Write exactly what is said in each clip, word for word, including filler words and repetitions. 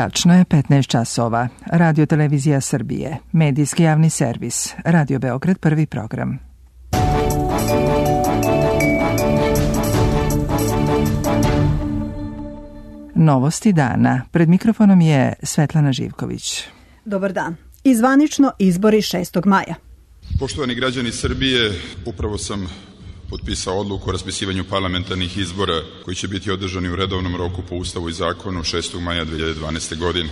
Tačno je petnaest časova. Radio Televizija Srbije. Medijski javni servis. Radio Beograd, prvi program. Novosti dana. Pred mikrofonom je Svetlana Živković. Dobar dan. I zvanično izbori šestog maja. Poštovani građani Srbije, upravo sam potpisao odluku o raspisivanju parlamentarnih izbora koji će biti održani u redovnom roku po Ustavu i zakonu šestog maja dve hiljade dvanaeste. godine.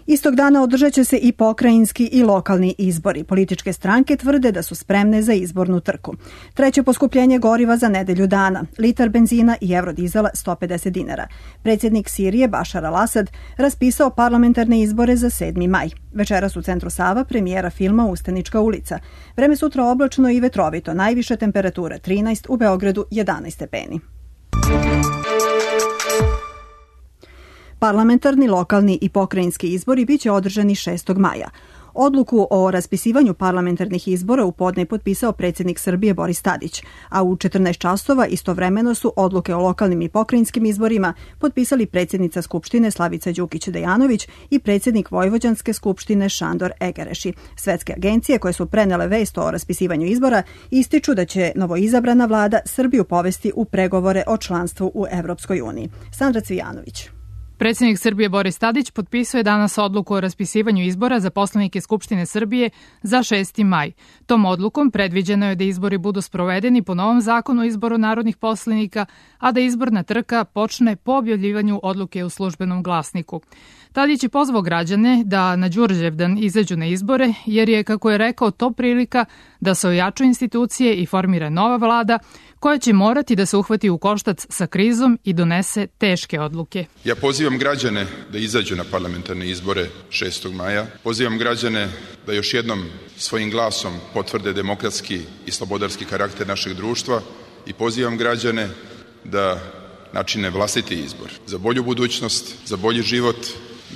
Istog dana održat će se i pokrajinski i lokalni izbori. Političke stranke tvrde da su spremne za izbornu trku. Treće poskupljenje goriva za nedelju dana. Litar benzina i eurodizela sto pedeset dinara. Predsjednik Sirije Bašar al-Asad raspisao parlamentarne izbore za sedmi maj. Večeras u centru Sava premijera filma Ustanička ulica. Vreme sutra oblačno i vetrovito. Najviša temperatura trinaest, u Beogradu jedanaest stepeni. Parlamentarni, lokalni i pokrajinski izbori biće održani šestog maja. Odluku o raspisivanju parlamentarnih izbora u podne potpisao predsjednik Srbije Boris Tadić, a u četrnaest časova istovremeno su odluke o lokalnim i pokrajinskim izborima potpisali predsjednica Skupštine Slavica Đukić Dejanović i predsjednik Vojvođanske skupštine Šandor Egereši. Svetske agencije koje su prenele vest o raspisivanju izbora ističu da će novoizabrana vlada Srbiju povesti u pregovore o članstvu u Evropskoj uniji. Sandra Cvijanović. Predsjednik Srbije Boris Tadić potpisao je danas odluku o raspisivanju izbora za poslanike Skupštine Srbije za šesti maj. Tom odlukom predviđeno je da izbori budu sprovedeni po novom zakonu o izboru narodnih poslanika, a da izborna trka počne po objavljivanju odluke u službenom glasniku. Tadić je pozvao građane da na Đurđevdan izađu na izbore, jer je, kako je rekao, to prilika da se ojačaju institucije i formira nova vlada, koja će morati da se uhvati u koštac sa krizom i donese teške odluke. Ja pozivam građane da izađu na parlamentarne izbore šestog maja. Pozivam građane da još jednom svojim glasom potvrde demokratski i slobodarski karakter našeg društva i pozivam građane da načine vlastiti izbor za bolju budućnost, za bolji život.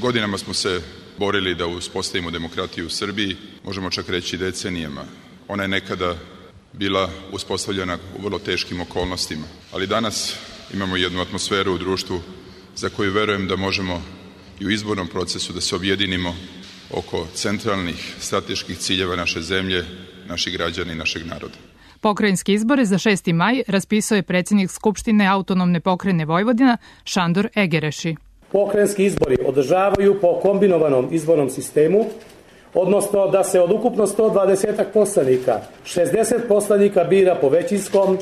Godinama smo se borili da uspostavimo demokratiju u Srbiji, možemo čak reći decenijama. Ona je nekada bila uspostavljena u vrlo teškim okolnostima, ali danas imamo jednu atmosferu u društvu za koju verujem da možemo i u izbornom procesu da se objedinimo oko centralnih strateških ciljeva naše zemlje, naših građana i našeg naroda. Pokrajinski izbore za šesti maj raspisao je predsjednik Skupštine autonomne pokrajine Vojvodina Šandor Egereši. Pokrajinski izbori održavaju po kombinovanom izbornom sistemu, odnosno da se od ukupno sto dvadeset poslanika, šezdeset poslanika bira po većinskom,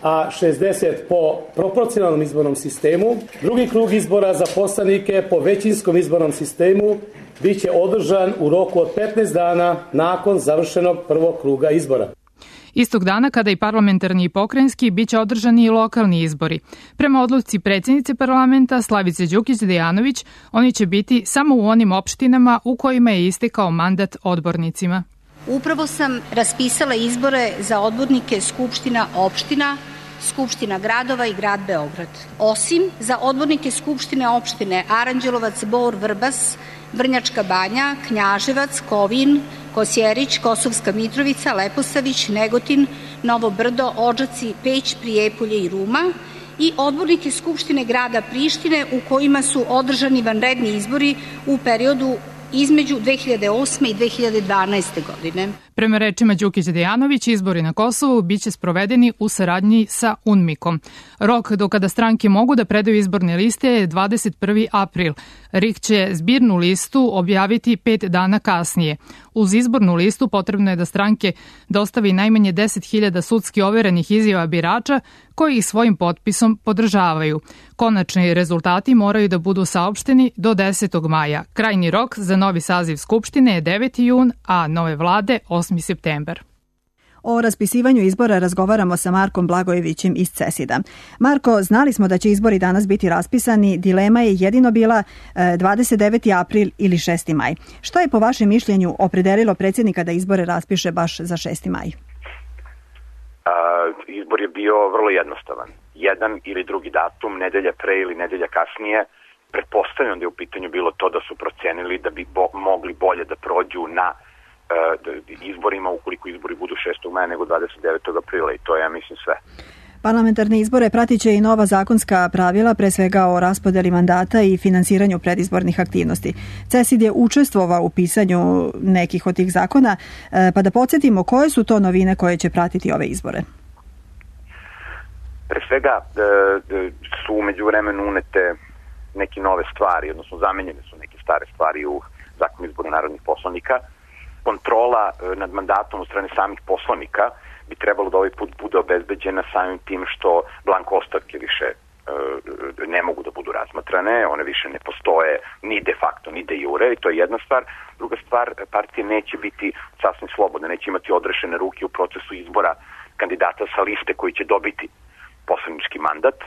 a šezdeset po proporcionalnom izbornom sistemu. Drugi krug izbora za poslanike po većinskom izbornom sistemu biće održan u roku od petnaest dana nakon završenog prvog kruga izbora. Istog dana, kada i parlamentarni i pokrajinski, biće održani i lokalni izbori. Prema odluci predsjednice parlamenta Slavice Đukić Dejanović, oni će biti samo u onim opštinama u kojima je istekao mandat odbornicima. Upravo sam raspisala izbore za odbornike Skupština opština, Skupština gradova i grad Beograd. Osim za odbornike Skupštine opštine Aranđelovac, Bor, Vrbas, Vrnjačka Banja, Knjaževac, Kovin, Kosjerić, Kosovska Mitrovica, Leposavić, Negotin, Novo Brdo, Odžaci, Peć, Prijepolje i Ruma i odbornike Skupštine grada Prištine u kojima su održani vanredni izbori u periodu između dve hiljade osme i dve hiljade dvanaeste. godine. Prema rečima Đukić Dejanović, izbori na Kosovu biće sprovedeni u saradnji sa UNMIK-om. Rok do kada stranke mogu da predaju izborne liste je dvadeset prvi april. R I K će zbirnu listu objaviti pet dana kasnije. Uz izbornu listu potrebno je da stranke dostavi najmanje deset hiljada sudski overenih izjava birača koji ih svojim potpisom podržavaju. Konačni rezultati moraju da budu saopšteni do desetog maja. Krajnji rok za novi saziv Skupštine je deveti jun, a nove vlade osmi septembar. O raspisivanju izbora razgovaramo sa Markom Blagojevićem iz CESID-a. Marko, znali smo da će izbori danas biti raspisani, dilema je jedino bila dvadeset deveti april ili šesti maj. Šta je po vašem mišljenju opredelilo predsjednika da izbore raspiše baš za šesti maj? A, izbor je bio vrlo jednostavan. Jedan ili drugi datum, nedelja pre ili nedelja kasnije. Pretpostavljam da je u pitanju bilo to da su procenili da bi bo, mogli bolje da prođu na izborima ukoliko izbori budu šestog maja nego dvadeset devetog aprila i to je, ja mislim, sve. Parlamentarne izbore pratit će i nova zakonska pravila, pre svega o raspodeli mandata i finansiranju predizbornih aktivnosti. CESID je učestvovao u pisanju nekih od tih zakona, pa da podsjetimo koje su to novine koje će pratiti ove izbore. Pre svega su umeđu vremenu unete neke nove stvari, odnosno zamenjene su neke stare stvari u zakonu izboru narodnih poslanika. Kontrola nad mandatom od strane samih poslanika bi trebalo da ovaj put bude obezbeđena samim tim što blanko ostavke više e, ne mogu da budu razmatrane, one više ne postoje ni de facto, ni de jure, i to je jedna stvar. Druga stvar, partije neće biti sasvim slobodne, neće imati odrešene ruke u procesu izbora kandidata sa liste koji će dobiti poslanički mandat.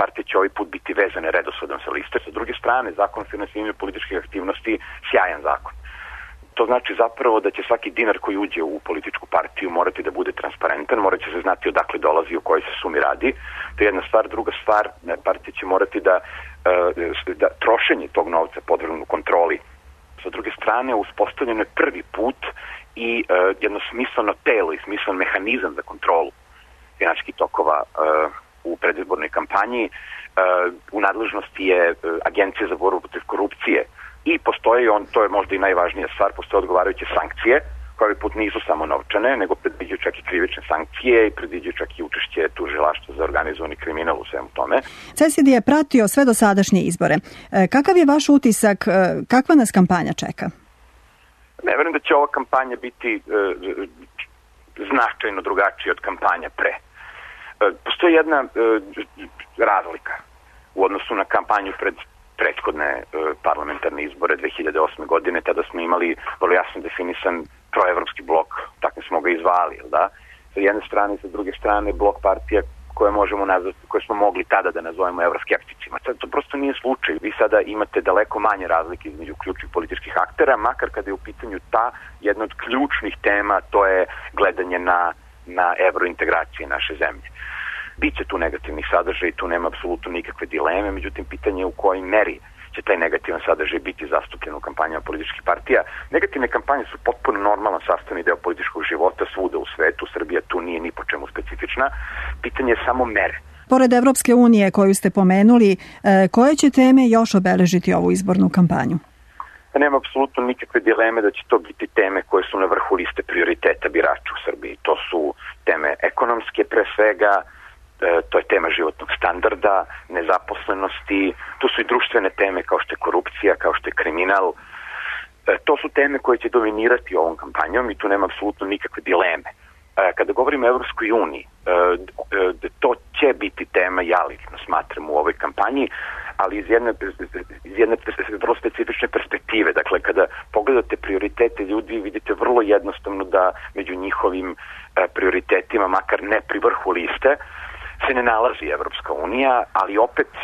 Partije će ovaj put biti vezane redosledom sa liste. Sa druge strane, zakon o finansiranju političkih aktivnosti, sjajan zakon. To znači zapravo da će svaki dinar koji uđe u političku partiju morati da bude transparentan, morat će se znati odakle dolazi, o kojoj se sumi radi. To je jedna stvar. Druga stvar, partije će morati da, da trošenje tog novca podvrgnu kontroli. Sa druge strane, uspostavljeno je prvi put i jedno smisleno telo i smislen mehanizam za kontrolu finansijskih tokova u predizbornoj kampanji. U nadležnosti je Agencija za borbu protiv korupcije. I postoji, on, to je možda i najvažnija stvar, postoje odgovarajuće sankcije, koje ovaj put nisu samo novčane, nego predviđaju čak i krivične sankcije i predviđaju čak i učešće tužilaštva za organizovani kriminal u svemu tome. CESID je pratio sve dosadašnje izbore. Kakav je vaš utisak, kakva nas kampanja čeka? Ne verujem da će ova kampanja biti e, značajno drugačija od kampanja pre. E, postoji jedna e, razlika u odnosu na kampanju pred prethodne e, parlamentarne izbore dve hiljade osme godine, tada smo imali vrlo jasno definisan proevropski blok, tako smo ga izvali, da? Sa jedne strane i sa druge strane blok partija koje možemo nazvati, koje smo mogli tada da nazovemo evroskepticima. Sad to prosto nije slučaj. Vi sada imate daleko manje razlike između ključnih političkih aktera, makar kada je u pitanju ta jedna od ključnih tema, to je gledanje na, na evrointegracije naše zemlje. Biće tu negativnih sadržaja i tu nema apsolutno nikakve dileme, međutim pitanje je u kojoj meri će taj negativan sadržaj biti zastupljen u kampanjama političkih partija. Negativne kampanje su potpuno normalan sastavni deo političkog života svuda u svetu, Srbija tu nije ni po čemu specifična, pitanje je samo mere. Pored Evropske unije koju ste pomenuli, koje će teme još obeležiti ovu izbornu kampanju? Nema apsolutno nikakve dileme da će to biti teme koje su na vrhu liste prioriteta birača u Srbiji. To su teme ekonomske pre svega, to je tema životnog standarda, nezaposlenosti, tu su i društvene teme kao što je korupcija, kao što je kriminal. To su teme koje će dominirati ovom kampanjom i tu nema apsolutno nikakve dileme. Kada govorimo o Evropskoj uniji, to će biti tema, ja lično smatram, u ovoj kampanji, ali iz jedne, iz jedne vrlo specifične perspektive. Dakle, kada pogledate prioritete ljudi, vidite vrlo jednostavno da među njihovim prioritetima, makar ne pri vrhu liste, se ne nalazi Evropska unija, ali opet e,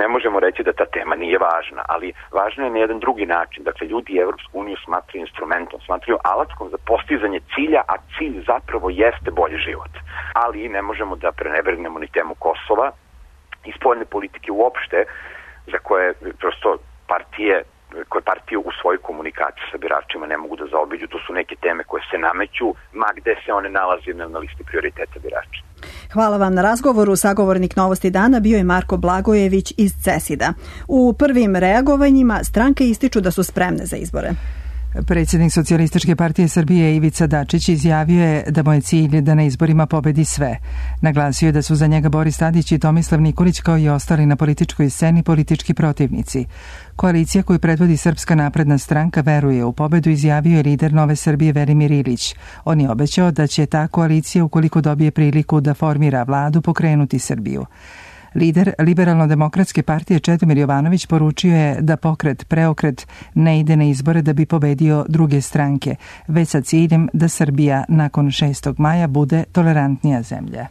ne možemo reći da ta tema nije važna, ali važna je na jedan drugi način. Dakle, ljudi Evropsku uniju smatraju instrumentom, smatraju alatkom za postizanje cilja, a cilj zapravo jeste bolji život. Ali ne možemo da prenebregnemo ni temu Kosova i spoljne politike uopšte, za koje prosto partije koje partije u svojoj komunikaciji sa biračima ne mogu da zaobiđu. To su neke teme koje se nameću, ma gde se one nalazi na listi prioriteta birača. Hvala vam na razgovoru. Sagovornik Novosti dana bio je Marko Blagojević iz CESID-a. U prvim reagovanjima stranke ističu da su spremne za izbore. Predsjednik Socijalističke partije Srbije Ivica Dačić izjavio je da mu je cilj da na izborima pobedi sve. Naglasio je da su za njega Boris Tadić i Tomislav Nikolić kao i ostali na političkoj sceni politički protivnici. Koalicija koju predvodi Srpska napredna stranka veruje u pobedu, izjavio je lider Nove Srbije Velimir Ilić. On je obećao da će ta koalicija, ukoliko dobije priliku da formira vladu, pokrenuti Srbiju. Lider Liberalno-demokratske partije Čedomir Jovanović poručio je da pokret Preokret ne ide na izbore da bi pobedio druge stranke, već sa ciljem da Srbija nakon šestog maja bude tolerantnija zemlja.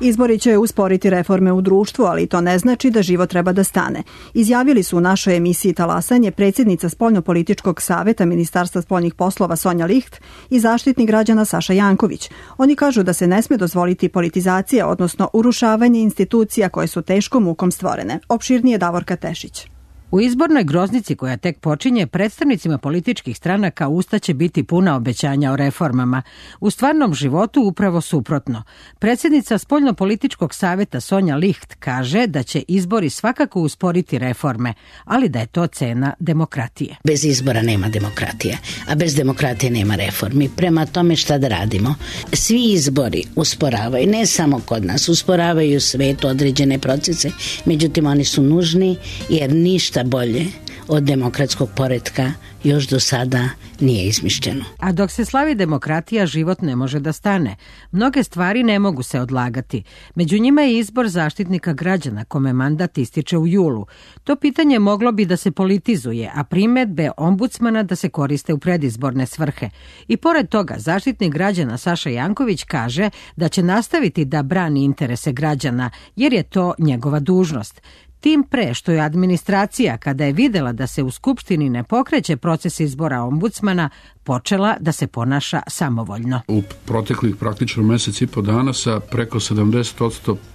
Izbori će usporiti reforme u društvu, ali to ne znači da život treba da stane. Izjavili su u našoj emisiji Talasanje predsjednica Spoljnopolitičkog saveta Ministarstva spoljnih poslova Sonja Licht i zaštitnik građana Saša Janković. Oni kažu da se ne sme dozvoliti politizacija, odnosno urušavanje institucija koje su teškom mukom stvorene. Opširnije Davorka Tešić. U izbornoj groznici koja tek počinje, predstavnicima političkih stranaka usta će biti puna obećanja o reformama. U stvarnom životu upravo suprotno. Predsjednica Spoljnopolitičkog saveta Sonja Licht kaže da će izbori svakako usporiti reforme, ali da je to cena demokratije. Bez izbora nema demokratije, a bez demokratije nema reformi. Prema tome šta da radimo? Svi izbori usporavaju, ne samo kod nas, usporavaju u svetu određene procese, međutim oni su nužni jer ništa bolje od demokratskog poretka još do sada nije izmišljeno. A dok se slavi demokratija, život ne može da stane. Mnoge stvari ne mogu se odlagati. Među njima je izbor zaštitnika građana, kome mandat ističe u julu. To pitanje moglo bi da se politizuje, a primedbe ombudsmana da se koriste u predizborne svrhe. I pored toga, zaštitnik građana Saša Janković kaže da će nastaviti da brani interese građana, jer je to njegova dužnost. Tim pre što je administracija, kada je videla da se u Skupštini ne pokreće proces izbora ombudsmana, počela da se ponaša samovoljno. U proteklih praktično mesec i po dana sa preko sedamdeset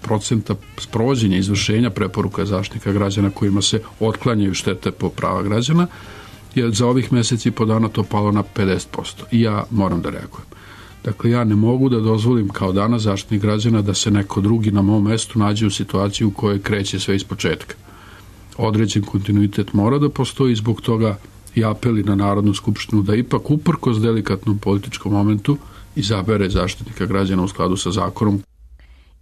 procenta sprovođenja izvršenja preporuka Zaštitnika građana kojima se otklanjaju štete po prava građana, je za ovih mesec i po dana to palo na pedeset posto. I ja moram da reagujem. Dakle, ja ne mogu da dozvolim kao danas Zaštitnik građana da se neko drugi na mom mestu nađe u situaciju u kojoj kreće sve iz početka. Određen kontinuitet mora da postoji, zbog toga i apeli na Narodnu skupštinu da ipak uprkos delikatnom političkom momentu izabere Zaštitnika građana u skladu sa zakonom.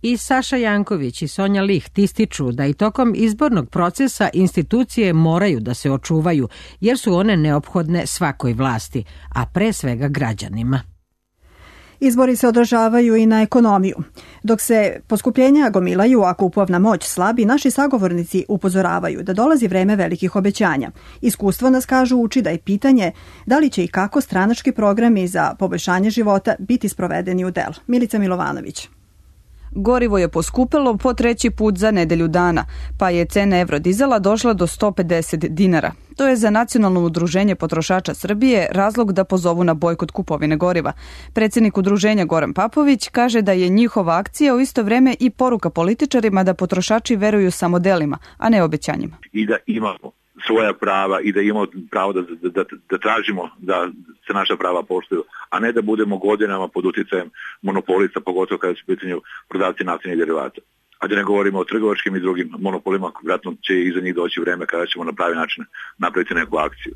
I Saša Janković i Sonja Licht ističu da i tokom izbornog procesa institucije moraju da se očuvaju, jer su one neophodne svakoj vlasti, a pre svega građanima. Izbori se odražavaju i na ekonomiju. Dok se poskupljenja gomilaju, a kupovna moć slabi, naši sagovornici upozoravaju da dolazi vreme velikih obećanja. Iskustvo nas, kažu, uči da je pitanje da li će i kako stranački programi za poboljšanje života biti sprovedeni u delo. Milica Milovanović. Gorivo je poskupelo po treći put za nedelju dana, pa je cena evrodizela došla do sto pedeset dinara. To je za Nacionalno udruženje potrošača Srbije razlog da pozovu na bojkot kupovine goriva. Predsjednik udruženja Goran Papović kaže da je njihova akcija u isto vreme i poruka političarima da potrošači veruju samo delima, a ne obećanjima. I da imamo svoja prava i da imamo pravo da, da, da, da tražimo da se naša prava poštuju, a ne da budemo godinama pod utjecajem monopolista, pogotovo kada su u pitanju prodavci naftnih derivata. A da ne govorimo o trgovačkim i drugim monopolima, vjerojatno će iza njih doći vreme kada ćemo na pravi način napraviti neku akciju.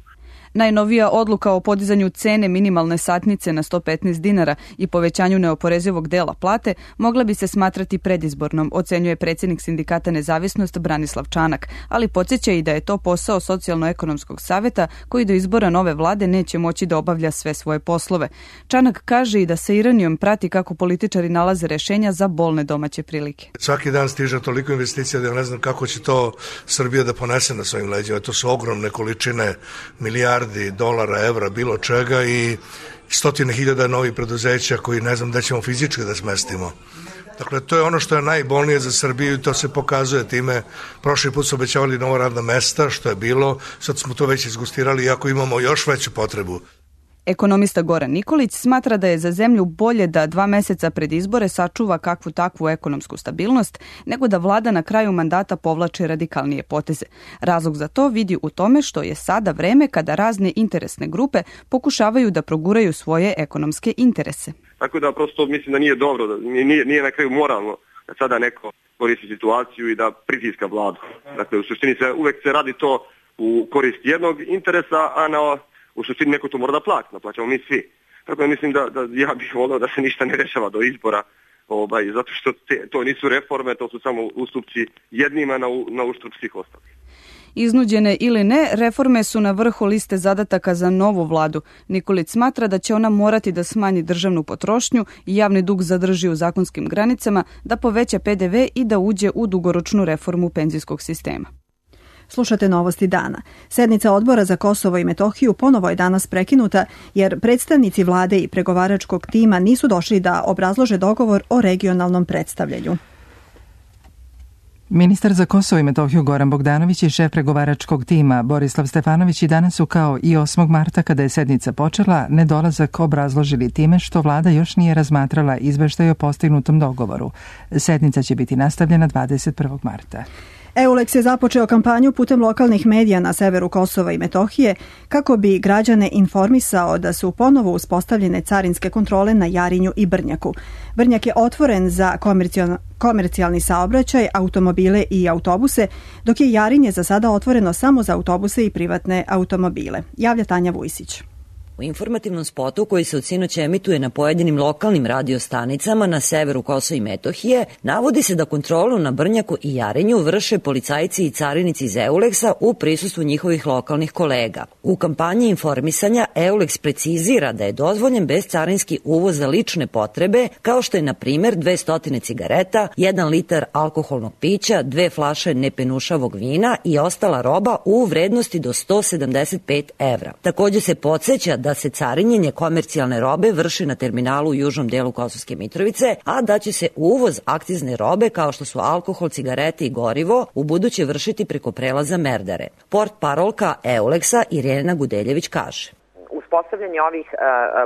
Najnovija odluka o podizanju cene minimalne satnice na sto petnaest dinara i povećanju neoporezivog dela plate mogla bi se smatrati predizbornom, ocenjuje predsjednik sindikata Nezavisnost Branislav Čanak, ali podsjeća i da je to posao Socijalno-ekonomskog saveta koji do izbora nove vlade neće moći da obavlja sve svoje poslove. Čanak kaže i da sa ironijom prati kako političari nalaze rešenja za bolne domaće prilike. Svaki dan stiže toliko investicija da ja ne znam kako će to Srbija da ponese na svojim leđima. To su ogromne količine, milijardi dolara, evra, bilo čega i stotine hiljada novih preduzeća koji ne znam da ćemo fizički da smestimo. Dakle, to je ono što je najbolnije za Srbiju i to se pokazuje time. Prošli put su obećavali nova radna mesta, što je bilo, sad smo to već izgustirali, iako imamo još veću potrebu. Ekonomista Goran Nikolić smatra da je za zemlju bolje da dva meseca pred izbore sačuva kakvu takvu ekonomsku stabilnost, nego da vlada na kraju mandata povlače radikalnije poteze. Razlog za to vidi u tome što je sada vreme kada razne interesne grupe pokušavaju da proguraju svoje ekonomske interese. Tako da prosto mislim da nije dobro, da nije, nije na kraju moralno da sada neko koristi situaciju i da pritiska vladu. Dakle, u suštini se uvek se radi to u korist jednog interesa, a na u suštini neko to mora da plati, naplaćamo mi svi. Tako da mislim da, da ja bih volio da se ništa ne rešava do izbora, ovaj, zato što te, to nisu reforme, to su samo ustupci jednima na, na uštrb svih ostalih. Iznuđene ili ne, reforme su na vrhu liste zadataka za novu vladu. Nikolić smatra da će ona morati da smanji državnu potrošnju i javni dug zadrži u zakonskim granicama, da poveća pe de ve i da uđe u dugoročnu reformu penzijskog sistema. Slušate Novosti dana. Sednica Odbora za Kosovo i Metohiju ponovo je danas prekinuta jer predstavnici vlade i pregovaračkog tima nisu došli da obrazlože dogovor o regionalnom predstavljanju. Ministar za Kosovo i Metohiju Goran Bogdanović i šef pregovaračkog tima Borislav Stefanović i danas su kao i osmog marta kada je sednica počela nedolazak obrazložili time što vlada još nije razmatrala izveštaj o postignutom dogovoru. Sednica će biti nastavljena dvadeset prvog marta. EULEX je započeo kampanju putem lokalnih medija na severu Kosova i Metohije kako bi građane informisao da su ponovo uspostavljene carinske kontrole na Jarinju i Brnjaku. Brnjak je otvoren za komercijalni saobraćaj, automobile i autobuse, dok je Jarinje za sada otvoreno samo za autobuse i privatne automobile. Javlja Tanja Vujsić. U informativnom spotu koji se od sinoć emituje na pojedinim lokalnim radiostanicama na severu Kosova i Metohije, navodi se da kontrolu na Brnjaku i Jarinju vrše policajci i carinici iz EULEX-a u prisustvu njihovih lokalnih kolega. U kampanji informisanja EULEX precizira da je dozvoljen bezcarinski uvoz za lične potrebe, kao što je na primer dvesta cigareta, jedan litar alkoholnog pića, dve flaše nepenušavog vina i ostala roba u vrednosti do sto sedamdeset pet evra. Takođe se podseća da se carinjenje komercijalne robe vrši na terminalu u južnom delu Kosovske Mitrovice, a da će se uvoz akcizne robe kao što su alkohol, cigarete i gorivo u buduće vršiti preko prelaza Merdare. Port parolka EULEX-a Irena Gudeljević kaže: Uspostavljanje ovih uh,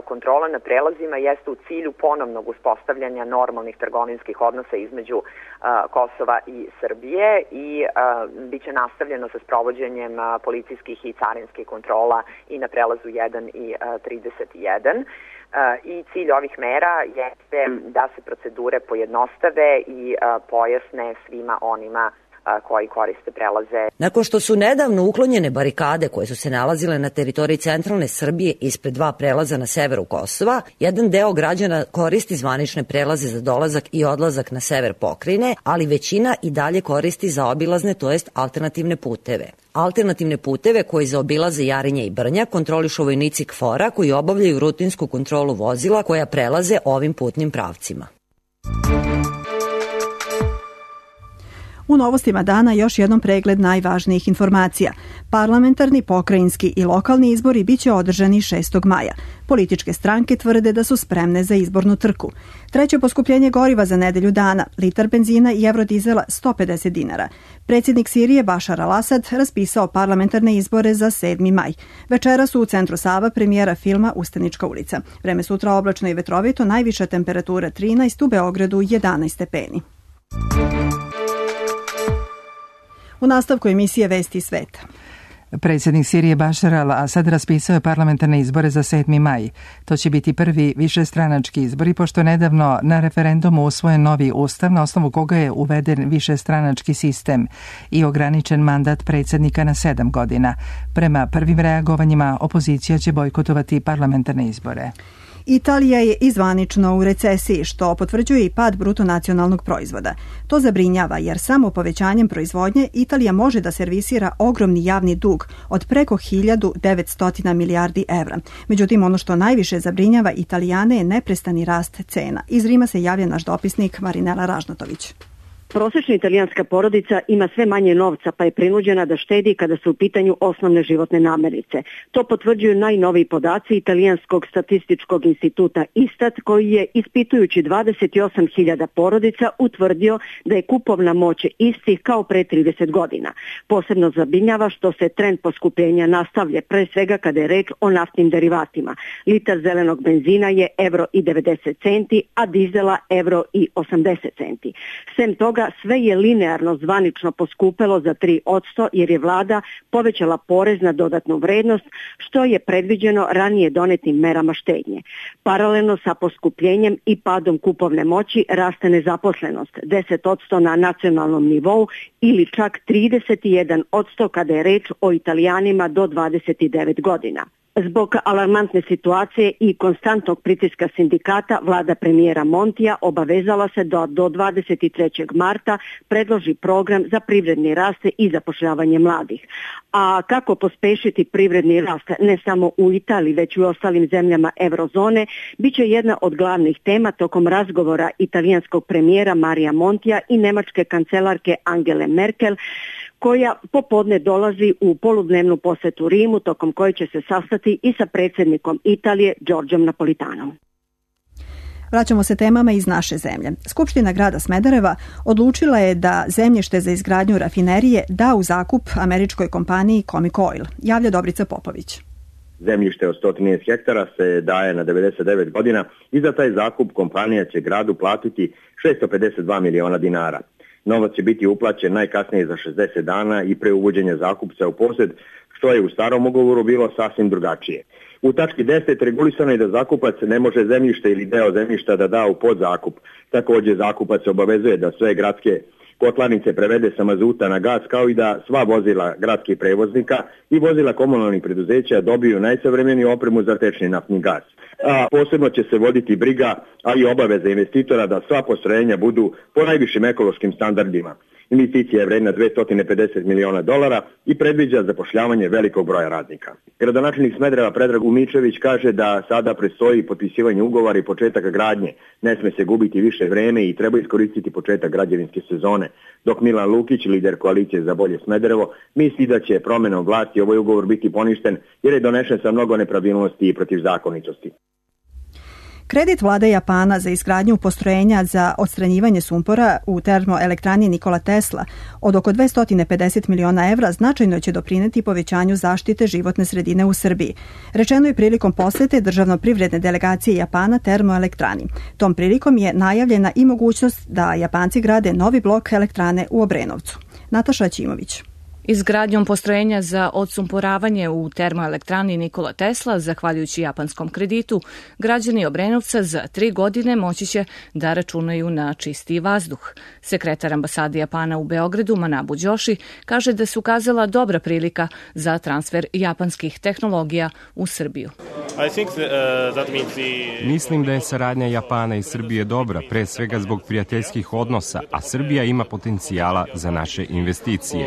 kontrola na prelazima jeste u cilju ponovnog uspostavljanja normalnih trgovinskih odnosa između uh, Kosova i Srbije i uh, bit će nastavljeno sa sprovođenjem uh, policijskih i carinskih kontrola i na prelazu jedan i uh, trideset jedan. Uh, I cilj ovih mera jeste da se procedure pojednostave i uh, pojasne svima onima koji koriste prelaze. Nakon što su nedavno uklonjene barikade koje su se nalazile na teritoriji centralne Srbije ispred dva prelaza na severu Kosova, jedan deo građana koristi zvanične prelaze za dolazak i odlazak na sever pokrajine, ali većina i dalje koristi zaobilazne, to jest alternativne puteve. Alternativne puteve koji zaobilaze Jarinje i Brnjak kontrolišu vojnici K F O R-a koji obavljaju rutinsku kontrolu vozila koja prelaze ovim putnim pravcima. U novostima dana još jednom pregled najvažnijih informacija. Parlamentarni, pokrajinski i lokalni izbori biće održani šestog maja. Političke stranke tvrde da su spremne za izbornu trku. Treće poskupljenje goriva za nedelju dana, litar benzina i eurodizela sto pedeset dinara. Predsjednik Sirije Bašar al-Asad raspisao parlamentarne izbore za sedmi maj. Večera su u centru Sava premijera filma Ustanička ulica. Vreme sutra oblačno i vetrovito, najviša temperatura trinaest, u Beogradu jedanaest stepeni. U nastavku emisije Vesti sveta. Predsjednik Sirije Bašar al-Asad raspisao je parlamentarne izbore za sedmi maj. To će biti prvi višestranački izbori, pošto je nedavno na referendumu usvojen novi ustav na osnovu koga je uveden višestranački sistem i ograničen mandat predsjednika na sedam godina. Prema prvim reagovanjima opozicija će bojkotovati parlamentarne izbore. Italija je izvanično u recesiji, što potvrđuje i pad bruto nacionalnog proizvoda. To zabrinjava jer samo povećanjem proizvodnje Italija može da servisira ogromni javni dug od preko hiljadu devetsto milijardi evra. Međutim, ono što najviše zabrinjava Italijane je neprestani rast cena. Iz Rima se javlja naš dopisnik Marinela Ražnatović. Prosječna italijanska porodica ima sve manje novca, pa je prinuđena da štedi kada su u pitanju osnovne životne namirnice. To potvrđuju najnoviji podaci Italijanskog statističkog instituta Istat, koji je, ispitujući dvadeset osam hiljada porodica, utvrdio da je kupovna moć istih kao pre trideset godina. Posebno zabrinjava što se trend poskupljenja nastavlja, pre svega kada je reč o naftnim derivatima. Litar zelenog benzina je evro i devedeset centi, a dizela evro i osamdeset centi. Sem toga, sve je linearno zvanično poskupelo za tri posto jer je vlada povećala porez na dodatnu vrednost, što je predviđeno ranije donetim merama štednje. Paralelno sa poskupljenjem i padom kupovne moći raste nezaposlenost, deset posto na nacionalnom nivou ili čak trideset jedan posto kada je reč o Italijanima do dvadeset devet godina. Zbog alarmantne situacije i konstantnog pritiska sindikata, vlada premijera Montija obavezala se da do dvadeset trećeg marta predloži program za privredni rast i zapošljavanje mladih. A kako pospešiti privredni rast ne samo u Italiji, već i u ostalim zemljama eurozone, bit će jedna od glavnih tema tokom razgovora italijanskog premijera Marija Montija i nemačke kancelarke Angele Merkel, koja popodne dolazi u poludnevnu posetu Rimu, tokom koje će se sastati i sa predsjednikom Italije Đorđom Napolitanom. Vraćamo se temama iz naše zemlje. Skupština grada Smedereva odlučila je da zemljište za izgradnju rafinerije da u zakup američkoj kompaniji Comic Oil. Javlja Dobrica Popović. Zemljište od sto trinaest hektara se daje na devedeset devet godina i za taj zakup kompanija će gradu platiti šesto pedeset dva miliona dinara. Novac će biti uplaćen najkasnije za šezdeset dana i pre uvođenja zakupca u posjed, što je u starom ugovoru bilo sasvim drugačije. U tački deset regulisano je da zakupac ne može zemljište ili deo zemljišta da da u podzakup. Također zakupac se obavezuje da sve gradske kotlarnice prevede sa mazuta na gas, kao i da sva vozila gradskih prevoznika i vozila komunalnih preduzeća dobiju najsavremeniju opremu za tečni naftni gas. A posebno će se voditi briga, ali i obaveza investitora da sva postrojenja budu po najvišim ekološkim standardima. Investicija je vredna dvesta pedeset miliona dolara i predviđa zapošljavanje velikog broja radnika. Gradonačelnik Smedereva Predrag Umičević kaže da sada predstoji potpisivanje ugovora i početak gradnje. Ne sme se gubiti više vreme i treba iskoristiti početak građevinske sezone. Dok Milan Lukić, lider koalicije za bolje Smederevo, misli da će promenom vlasti ovaj ugovor biti poništen jer je donešen sa mnogo nepravilnosti i protivzakonitosti. Kredit vlade Japana za izgradnju postrojenja za odstranjivanje sumpora u termoelektrani Nikola Tesla od oko dvesta pedeset miliona evra značajno će doprineti povećanju zaštite životne sredine u Srbiji. Rečeno je prilikom posete državno-privredne delegacije Japana termoelektrani. Tom prilikom je najavljena i mogućnost da Japanci grade novi blok elektrane u Obrenovcu. Nataša Ćimović. Izgradnjom postrojenja za odsumporavanje u termoelektrani Nikola Tesla, zahvaljujući japanskom kreditu, građani Obrenovca za tri godine moći će da računaju na čistiji vazduh. Sekretar ambasade Japana u Beogradu, Manabu Đoši, kaže da se ukazala dobra prilika za transfer japanskih tehnologija u Srbiju. Mislim da je saradnja Japana i Srbije dobra, pre svega zbog prijateljskih odnosa, a Srbija ima potencijala za naše investicije.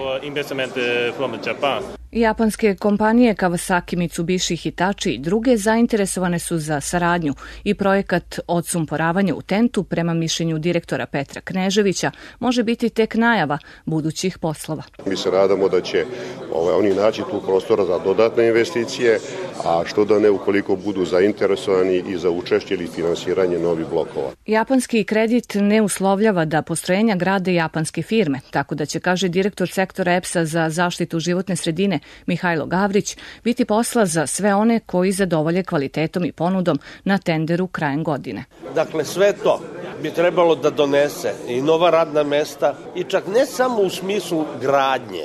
Japanske kompanije Kawasaki, Mitsubishi, Hitachi i druge zainteresovane su za saradnju i projekat odsumporavanja u tentu, prema mišljenju direktora Petra Kneževića, može biti tek najava budućih poslova. Mi se nadamo da će ovaj, oni naći tu prostora za dodatne investicije, a što da ne ukoliko budu zainteresovani i za učešće ili finansiranje novih blokova. Japanski kredit ne uslovljava da postrojenja grade japanske firme, tako da će, kaže direktor sektora E P S-a za zaštitu životne sredine Mihajlo Gavrić, biti posla za sve one koji zadovolje kvalitetom i ponudom na tenderu krajem godine. Dakle, sve to bi trebalo da donese i nova radna mesta i čak ne samo u smislu gradnje,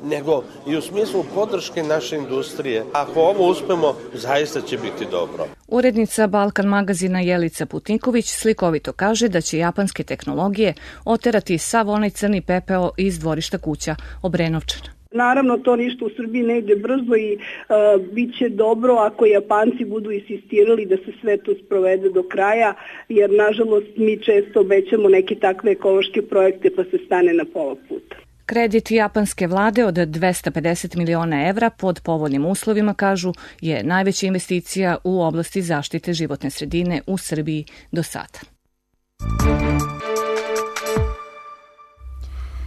nego i u smislu podrške naše industrije. Ako ovo uspemo, zaista će biti dobro. Urednica Balkan magazina Jelica Putniković slikovito kaže da će japanske tehnologije oterati sav onaj crni pepeo iz dvorišta kuća Obrenovčana. Naravno, to ništa u Srbiji ne ide brzo i uh, bit će dobro ako Japanci budu insistirali da se sve to sprovede do kraja, jer nažalost mi često obećamo neke takve ekološke projekte pa se stane na pola puta. Kredit japanske vlade od dvesta pedeset miliona evra pod povoljnim uslovima, kažu, je najveća investicija u oblasti zaštite životne sredine u Srbiji do sada.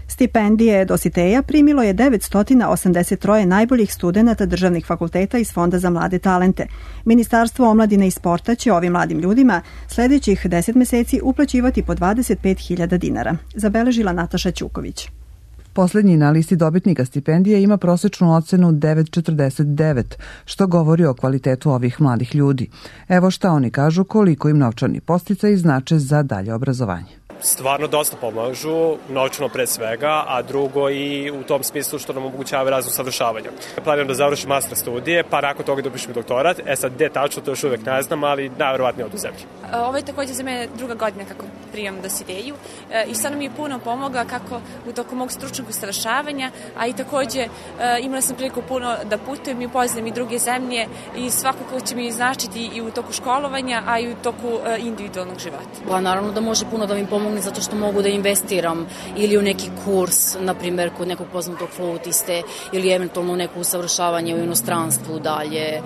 Stipendije Dositeja primilo je devetsto osamdeset tri najboljih studenata državnih fakulteta iz Fonda za mlade talente. Ministarstvo omladine i sporta će ovim mladim ljudima sljedećih deset meseci uplaćivati po dvadeset pet hiljada dinara, zabeležila Nataša Ćuković. Poslednji na listi dobitnika stipendije ima prosečnu ocenu devet zarez četrdeset devet, što govori o kvalitetu ovih mladih ljudi. Evo šta oni kažu koliko im novčani podsticaji znače za dalje obrazovanje. Stvarno dosta pomažu, novčano pre svega, a drugo i u tom smislu što nam omogućava razno savršavanja. Planiram da završim master studije, pa nakon toga da upišem doktorat. E sad, gde tačno, to još uvek ne znam, ali najverovatnije od u zemlji. Ovo je također za mene druga godina kako prijam Dositeju i stvarno mi je puno pomoga kako u toku mog stručnog usavršavanja, a i također imala sam priliku puno da putujem i upoznam i druge zemlje i svakako će mi značiti i u toku školovanja, a i u toku individualnog života. Pa naravno da može puno da mi pomogne zato što mogu da investiram ili u neki kurs, na primjer kod nekog poznatog flautiste ili eventualno neko usavršavanje u inostranstvu dalje.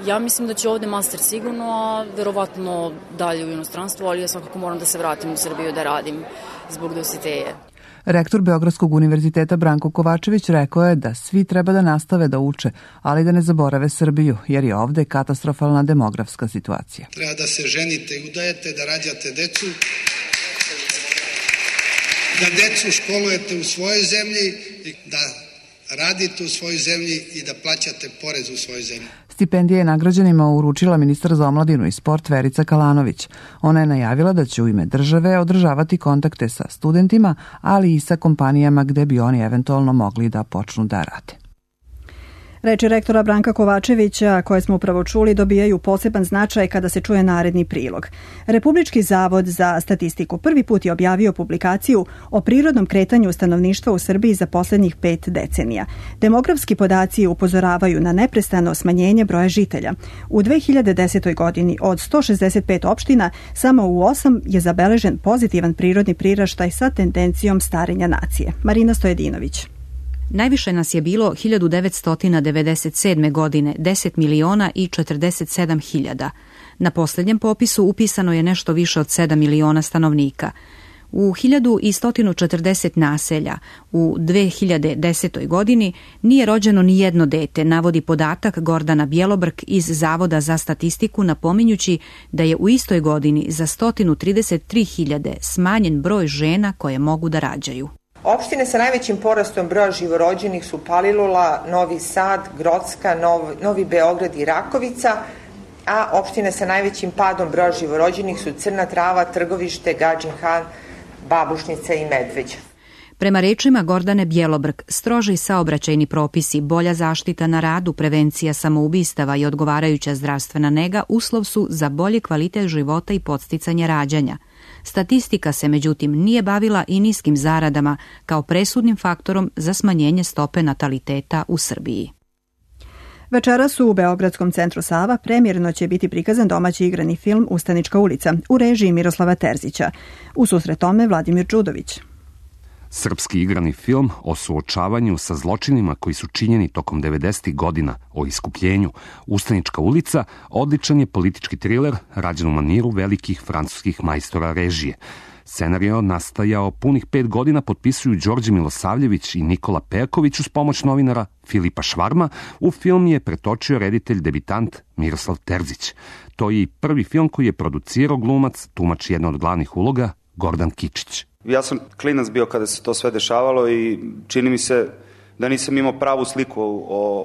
Ja mislim da će ovde master sigurno, a verovatno dalje u inostranstvu, ali ja svakako moram da se vratim u Srbiju da radim zbog Dositeje. Rektor Beogradskog univerziteta Branko Kovačević rekao je da svi treba da nastave da uče, ali da ne zaborave Srbiju, jer je ovde katastrofalna demografska situacija. Treba da se ženite i udajete, da rađate decu, da decu školujete u svojoj zemlji, da radite u svojoj zemlji i da plaćate porez u svojoj zemlji. Stipendije je nagrađenima uručila ministar za omladinu i sport Verica Kalanović. Ona je najavila da će u ime države održavati kontakte sa studentima, ali i sa kompanijama gde bi oni eventualno mogli da počnu da rade. Reči rektora Branka Kovačevića, koje smo upravo čuli, dobijaju poseban značaj kada se čuje naredni prilog. Republički zavod za statistiku prvi put je objavio publikaciju o prirodnom kretanju stanovništva u Srbiji za poslednjih pet decenija. Demografski podaci upozoravaju na neprestano smanjenje broja žitelja. U dve hiljade desetoj. godini od sto šezdeset pet opština samo u osam je zabeležen pozitivan prirodni priraštaj sa tendencijom starenja nacije. Marina Stojedinović. Najviše nas je bilo hiljadu devetsto devedeset sedme. godine, deset miliona i četrdeset sedam hiljada. Na posljednjem popisu upisano je nešto više od sedam miliona stanovnika. U hiljadu sto četrdeset naselja u dve hiljade desetoj. godini nije rođeno ni jedno dete, navodi podatak Gordana Bjelobrk iz Zavoda za statistiku, napominjući da je u istoj godini za sto trideset tri hiljade smanjen broj žena koje mogu da rađaju. Opštine sa najvećim porastom broja živorođenih su Palilula, Novi Sad, Grocka, Nov, Novi Beograd i Rakovica, a opštine sa najvećim padom broja živorođenih su Crna Trava, Trgovište, Gadžin Han, Babušnica i Medveđa. Prema rečima Gordane Bjelobrk, stroži saobraćajni propisi, bolja zaštita na radu, prevencija samoubistava i odgovarajuća zdravstvena nega uslov su za bolji kvalitet života i podsticanje rađanja. Statistika se međutim nije bavila i niskim zaradama kao presudnim faktorom za smanjenje stope nataliteta u Srbiji. Večeras u Beogradskom centru Sava premijerno će biti prikazan domaći igrani film Ustanička ulica u režiji Miroslava Terzića. U susret tome Vladimir Đudović. Srpski igrani film o suočavanju sa zločinima koji su činjeni tokom devedesetih godina, o iskupljenju, Ustanička ulica, odličan je politički triler rađen u maniru velikih francuskih majstora režije. Scenario nastajao punih pet godina potpisuju Đorđe Milosavljević i Nikola Perković uz pomoć novinara Filipa Švarma. U film je pretočio reditelj debitant Miroslav Terzić. To je i prvi film koji je producirao glumac, tumač jedne od glavnih uloga, Gordan Kičić. Ja sam klinac bio kada se to sve dešavalo i čini mi se da nisam imao pravu sliku o,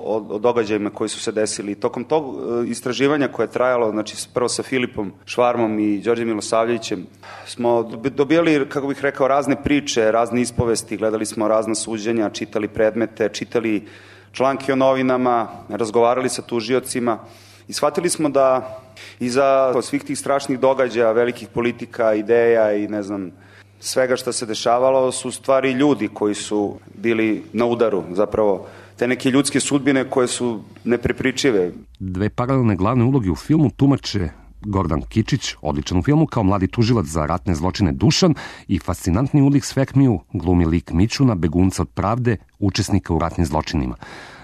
o, o događajima koji su se desili. Tokom tog istraživanja koje je trajalo, znači prvo sa Filipom Švarmom i Đorđem Milosavljevićem, smo dobijali, kako bih rekao, razne priče, razne ispovesti, gledali smo razna suđenja, čitali predmete, čitali članke o novinama, razgovarali sa tužiocima i shvatili smo da iza svih tih strašnih događaja, velikih politika, ideja i ne znam, svega što se dešavalo su stvari ljudi koji su bili na udaru, zapravo te neke ljudske sudbine koje su neprepričive. Dve paralelne glavne uloge u filmu tumače Gordan Kičić, odličan u filmu kao mladi tužilac za ratne zločine Dušan, i fascinantni Ulrich Svekmiju glumi lik Mićuna, begunca od pravde, učesnika u ratnim zločinima.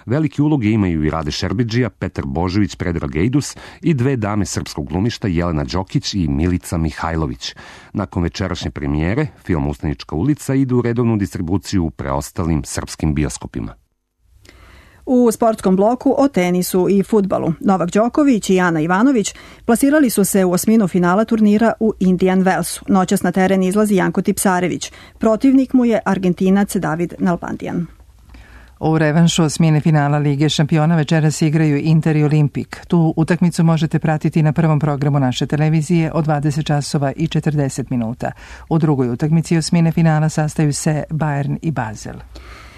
Velike uloge imaju i Rade Šerbidžija, Petar Božović, Predrag Ejdus i dve dame srpskog glumišta, Jelena Đokić i Milica Mihajlović. Nakon večerašnje premijere, film Ustanička ulica ide u redovnu distribuciju u preostalim srpskim bioskopima. U sportskom bloku o tenisu i fudbalu. Novak Đoković i Ana Ivanović plasirali su se u osminu finala turnira u Indian Wellsu. Noćas na teren izlazi Janko Tipsarević. Protivnik mu je Argentinac David Nalbandian. U revanšu osmine finala Lige šampiona večeras igraju Inter i Olimpik. Tu utakmicu možete pratiti na prvom programu naše televizije od dvadeset časova i četrdeset minuta. U drugoj utakmici osmine finala sastaju se Bayern i Basel.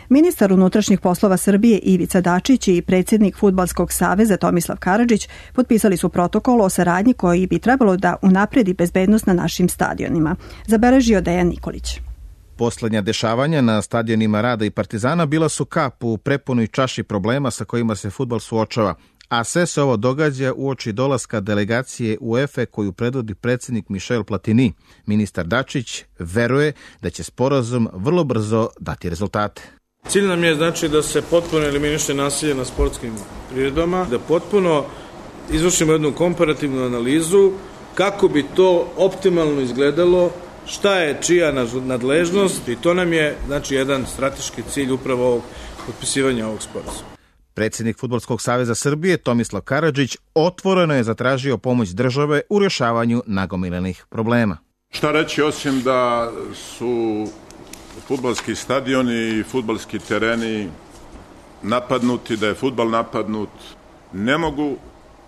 Ministar unutrašnjih poslova Srbije Ivica Dačić i predsjednik Fudbalskog saveza Tomislav Karadžić potpisali su protokol o saradnji koji bi trebalo da unapredi bezbednost na našim stadionima. Zabeležio Dejan Nikolić. Poslednja dešavanja na stadionima Rada i Partizana bila su kap u prepunoj čaši problema sa kojima se fudbal suočava, a sve se ovo događa uoči dolaska delegacije UEFA koju predvodi predsjednik Michel Platini. Ministar Dačić veruje da će sporazum vrlo brzo dati rezultate. Cilj nam je znači da se potpuno eliminiše nasilje na sportskim priredbama, da potpuno izvršimo jednu komparativnu analizu kako bi to optimalno izgledalo, šta je čija nadležnost, i to nam je znači jedan strateški cilj upravo ovog potpisivanja ovog sporazuma. Predsjednik Fudbalskog saveza Srbije Tomislav Karadžić otvoreno je zatražio pomoć države u rješavanju nagomilanih problema. Šta reći osim da su fudbalski stadioni i fudbalski tereni napadnuti, da je fudbal napadnut, ne mogu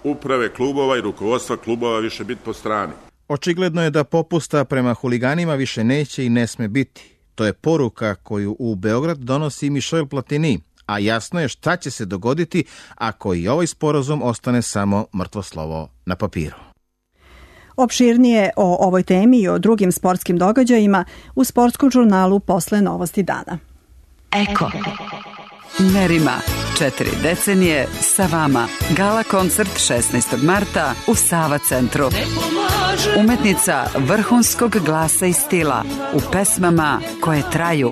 uprave klubova i rukovodstva klubova više biti po strani. Očigledno je da popusta prema huliganima više neće i ne sme biti. To je poruka koju u Beograd donosi Michel Platini, a jasno je šta će se dogoditi ako i ovaj sporazum ostane samo mrtvo slovo na papiru. Opširnije o ovoj temi i o drugim sportskim događajima u sportskom žurnalu posle Novosti dana. Eko. Merima, četiri decenije sa vama. Gala koncert šesnaestog marta u Sava centru. Umetnica vrhunskog glasa i stila u pesmama koje traju.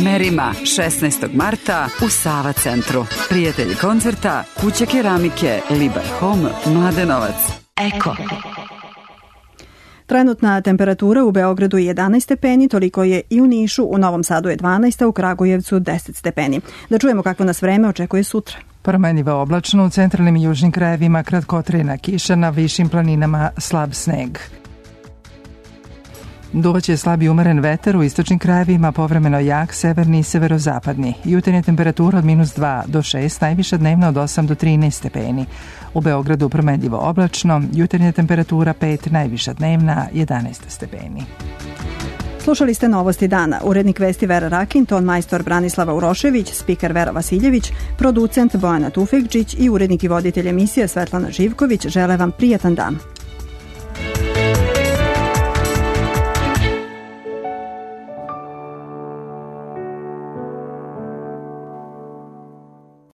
Merima, šesnaestog marta u Sava centru. Prijatelji koncerta, Kuća keramike, Libar Home, Mladenovac. Eko. Trenutna temperatura u Beogradu je jedanaest stepeni, toliko je i u Nišu, u Novom Sadu je dvanaest, a u Kragujevcu deset stepeni. Da čujemo kakvo nas vreme očekuje sutra. Promenljivo oblačno, u centralnim i južnim krajevima kratkotrajna kiša, na višim planinama slab sneg. Duvaće slabi umeren vetar, u istočnim krajevima povremeno jak, severni i severozapadni. Jutarnja temperatura od minus dva do šest, najviša dnevna od osam do trinaest stepeni. U Beogradu promenljivo oblačno, jutarnja temperatura pet, najviša dnevna jedanaest stepeni. Slušali ste Novosti dana. Urednik vesti Vera Rakin, ton majstor Branislava Urošević, spiker Vera Vasiljević, producent Bojana Tufekđić i urednik i voditelj emisije Svetlana Živković žele vam prijatan dan.